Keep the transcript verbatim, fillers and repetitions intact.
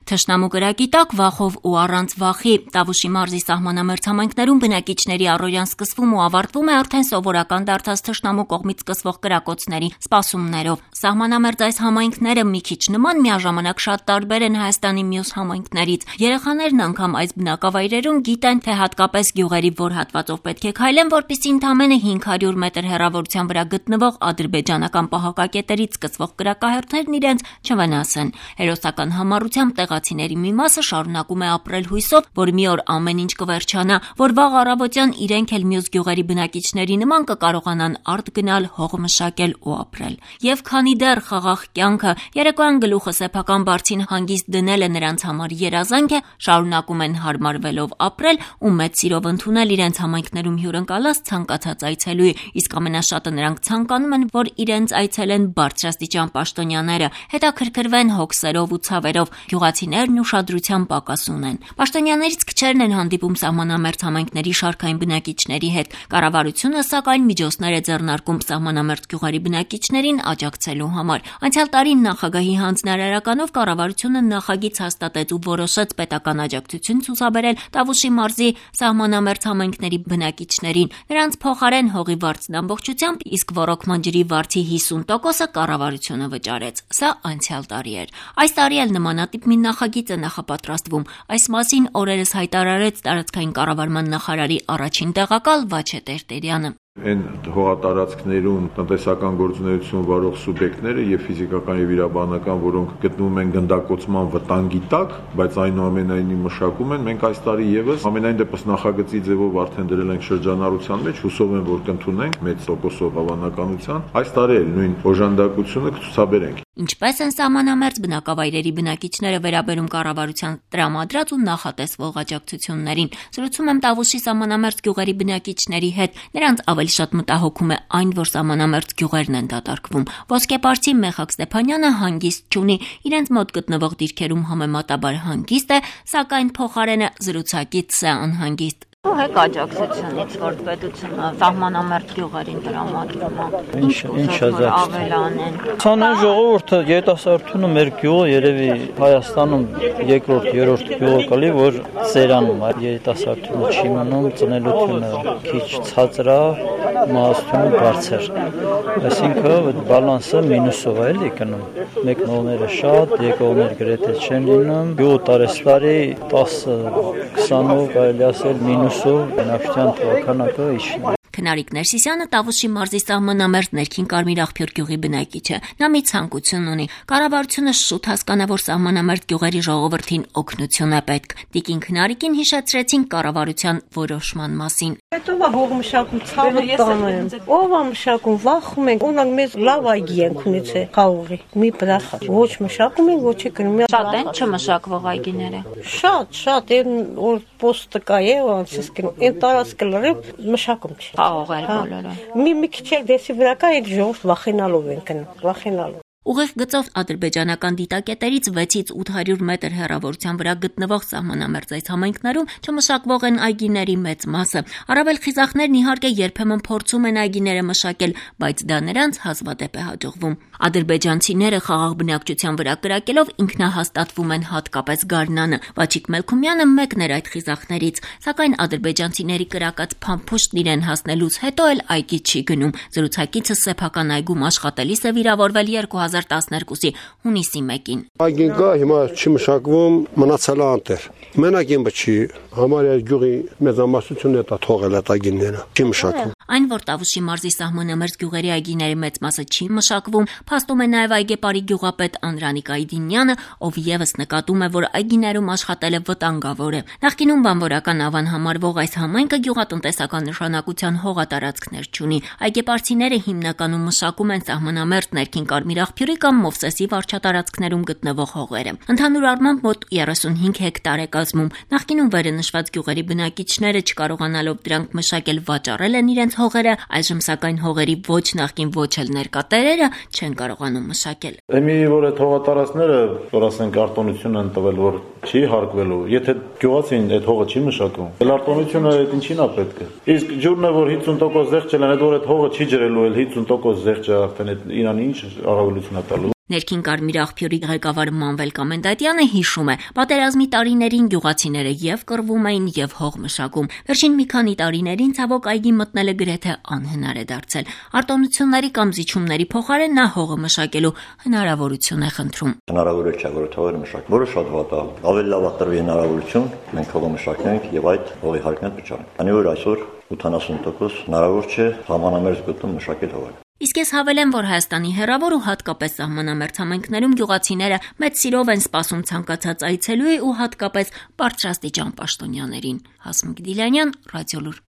Թշնամու կրակի տակ վախով ու առանց վախի Տավուշի մարզի սահմանամերձ համայնքներում բնակիչների առօրյան սկսվում ու ավարտվում է արդեն սովորական դարձած թշնամու կողմից սկսվող կրակոցների սպասումներով։ Սահմանամերձ այս համայնքները մի քիչ նման միաժամանակ շատ տարբեր են Հայաստանի մյուս համայնքներից։ Երեխաներն անգամ այս բնակավայրերում գիտեն, թե հատկապես գյուղերի որ հատվածով պետք է քայլեն, որպեսզի ընդամենը հինգ հարյուր մետր հեռավորության վրա գտնվող ադրբեջանական պահակակետերից սկսվող կրակահերթերն իրենց չվնասեն։ Հերոսական համառությամբ տեղացիների մի մասը շարունակում է ապրել հույսով, որ մի օր ամեն ինչ կվերջանա, որ վաղ առավոտյան իրենք էլ մյուս գյուղերի բնակիչների նման կկարողանան արդ գնալ, հող մշակել ու ապրել։ Եվ քանի դեռ խաղաղ կյանքը երեկոյան գլուխը սեփական բարձին հանգիստ դնելը նրանց համար երազանք է, շարունակում են հարմարվելով ապրել ու մեծ սիրով ընդունել իրենց համայնքներում հյուրընկալած ցանկացած այցելուի, իսկ ամենաշատը նրանք ցանկանում են, որ իրենց այցելեն բարձրաստիճան պաշտոնյաները, հետաքրքրվեն հոգսերով ու ցավերով, գյուղացիներն ուշադրության պակաս ունեն։ Պաշտոնյաներից քչերն են հանդիպում սահմանամերձ համայնքների շարքային բնակիչների հետ։ Կառավարությունը սակայն միջոցներ է ձեռնարկում սահմանամերձ գյուղերի բնակիչներին աջակցելու համար։ Անցյալ տարի նախագահի հանձնարարականով կառավարությունը նախագիծ հաստատեց ու որոշեց պետական աջակցություն ցուցաբերել Տավուշի մարզի սահմանամերձ համայնքների բնակիչներին։ Նրանց փոխարեն հողի վարձն ամբողջությամբ, իսկ ոռոգման ջրի վարձի հիսուն տոկոսը կառավարությունը վճարեց։ Սա անցյալ տարի էր։ Այս տարի էլ նմանատիպ մի նախագիծ է նախապատրաստվում։ Այս մասին օրերս հայտարարեց տարածքային կառավարման նախարարի առաջին տեղակալ Վաչե Տերտերյանը։ Այն հողատարածքներում տնտեսական գործունեություն վարող սուբյեկտները եւ ֆիզիկական եւ իրավաբանական, որոնք գտնվում են գնդակոծման վտանգի տակ, բայց այնուամենայնիվ մշակում են, մենք այս տարի եւս ամենայն դեպս նախագծի ձևով արդեն դրել ենք շրջանառության մեջ, հուսով եմ, որ կընդունենք մեծ տոկոսով հավանականության։ Այս տարի էլ նույն օժանդակությունը կցուցաբերենք։ Ինչպես են սահմանամերձ բնակավայրերի բնակիչները վերաբերում կառավարության տրամադրած ու նախատեսվող աջակցություններին։ Զրուցում եմ Տավուշի սահմանամերձ գյուղերի բնակիչների հետ։ Նրանց ավելի շատ մտահոգում է այն, որ սահմանամերձ գյուղերն են դատարկվում։ Ոսկեպարծի Մեխակ Ստեփանյանը հանգիստ չունի, իրենց մոտ գտնվող դիրքերում համեմատաբար հանգիստ է, սակայն փոխարենը զրուցակից է անհանգիստ։ Հեք աջակցությունից, որ պետությունը սահմանամերձ գյուղերին տրամադրում է։ Ինչ ավելանեն։ Ցանեն ժողովուրդը երիտասարդությունը մեր գյուղը երևի Հայաստանում երկրորդ, երրորդ գյուղը կլի, որ ծերանում է, երիտասարդությունը չի մնում, ծնելությունը քիչ ցածր է, մահացությունը բարձր։ Այսինքն այդ բալանսը մինուսով է էլի գնում։ Մեկնողները շատ, եկողներ գրեթե չեն լինում։ Գյուղը տարեստարի տասը քսանով կարելի ասել մինուս բնակչության թվականակը իջնում է։ Քնարիկ Ներսիսյանը Տավուշի մարզի սահմանամերձ ներքին Կարմիր աղբյուր գյուղի բնակիչ է։ Նա մի ցանկություն ունի։ Կառավարությունը շուտ հասկանա, որ սահմանամերձ գյուղերի ժողովրդին օգնություն է պետք։ Տիկին Քնարիկին հիշեցրեցին կառավարության որոշման մասին։ Հետո հող մշակում ցավը տանում։ Ով է մշակում, վախում ենք, ունենք մեզ լավ այգի ենք ունեցել խաղողի։ Մի բրախա։ Ոչ մշակում են, ոչ գնում։ Շատ են չմշակվող այգիները։ Շատ, շատ, այն որ պոստը կա է, ոնց գնում։ Այն տարածքը լրիվ մշակում չի։ Խաղողեր բոլորը։ Մի մի քիչ էլ դեսի վրա կա այդ ժողովուրդ վախենալով են գնում, վախենալով։ Ուղիղ գծով ադրբեջանական դիտակետերից վեցից ութ հարյուր մետր հեռավորության վրա գտնվող սահմանամերձ այս համայնքներում չմշակվող են այգիների մեծ մասը։ Առավել խիզախներն իհարկե երբեմն փորձում են այգիները մշակել, բայց դա նրանց հազվադեպ է հաջողվում։ Ադրբեջանցիները խաղաղ բնակչության վրա կրակելով ինքնահաստատվում են հատկապես գարնանը։ Վաչիկ Մելքումյանը մեկն էր այդ խիզախներից, սակայն ադրբեջանցիների կրակած փամփուշտն իրեն հասնելուց հետո էլ այգի չի գնում։ Զրուցակիցը սեփական այգում աշխատելիս է վիրավորվել երկու հազար տասներկուսի հունիսի մեկին։ Այգին կա, հիմա չի մշակվում, մնացել է անտեր։ Մենակ իմը չի, համարյա գյուղի մեծամասնությունն է դա թողել այդ այգիները, չի մշակվում։ Այն, որ Տավուշի մարզի սահմանամերձ գյուղերի այգիների մեծ մասը չի մշակվում, փաստում է նաև այգեպարի գյուղապետ Անդրանիկ Այդինյանը, ով եւս նկատում է, որ այգիներում աշխատելը վտանգավոր է։ Նախկինում բանվորական ավան համարվող այս համայնքը գյուղատնտեսական նշանակության հողատարածքներ չունի։ Այգեպարցիները հիմնականում մշակում են սահմանամերձ ներքին Կարմիր աղբյուրի կամ Մովսեսի վարչատարածքներում գտնվող հողերը։ Ընդհանուր առմամբ մոտ երեսունհինգ հեկտար է կազմում։ Նախկինում վերը նշված գյուղերի բնակիչները չկարողանալով դրանք մշակել վաճառել են իրենց հողերը, այժմ սակայն հողերի ոչ նախկին ոչ էլ ներկա տերերը չեն կարողանում մշակել։ Էմի որ այդ հողատարածքները, որ ասենք արտոնություն են տվել, որ չի հարկվելու, եթե գյուղացին այդ հողը չի մշակում, էլ արտոնությունը այդ ինչին է պետք է։ Իսկ ջուրն է որ հինգ տոկոս զեղչ են, այդ որ այդ հողը չի ջրելու, էլ հինգ տոկոս զեղչը արդեն այդ իրան ինչ առավելություն է տալու։ Ներքին Կարմիր աղբյուրի ղեկավար Մանվել Կամենդատյանը հիշում է, պատերազմի տարիներին գյուղացիները եւ կռվում էին եւ հող մշակում։ Վերջին մի քանի տարիներին ցավոք այգի մտնելը գրեթե անհնար է դարձել։ Արտոնությունների կամ զիջումների փոխարեն նա հողը մշակելու հնարավորություն է խնդրում։ Հնարավոր չէ որ թողերը մշակել, որը շատ վատ է։ Ավելի լավ է տրվի հնարավորություն, մենք հողը մշակենք եւ այդ հողի հարկն վճարենք։ Քանի որ այսօր ութանասուն տոկոս հնարավոր չէ համանամերձ գոտում մշակել հողը։ Իսկ ես հավելեմ, որ Հայաստանի հեռավոր ու հատկապես սահմանամերձ համայնքներում գյուղացիները մեծ սիրով են սպասում ցանկացած այցելուի ու հատկապես բարձրաստիճան պաշտոնյաներին։ Հասմիկ Դիլյանյան, Ռադիոլուր։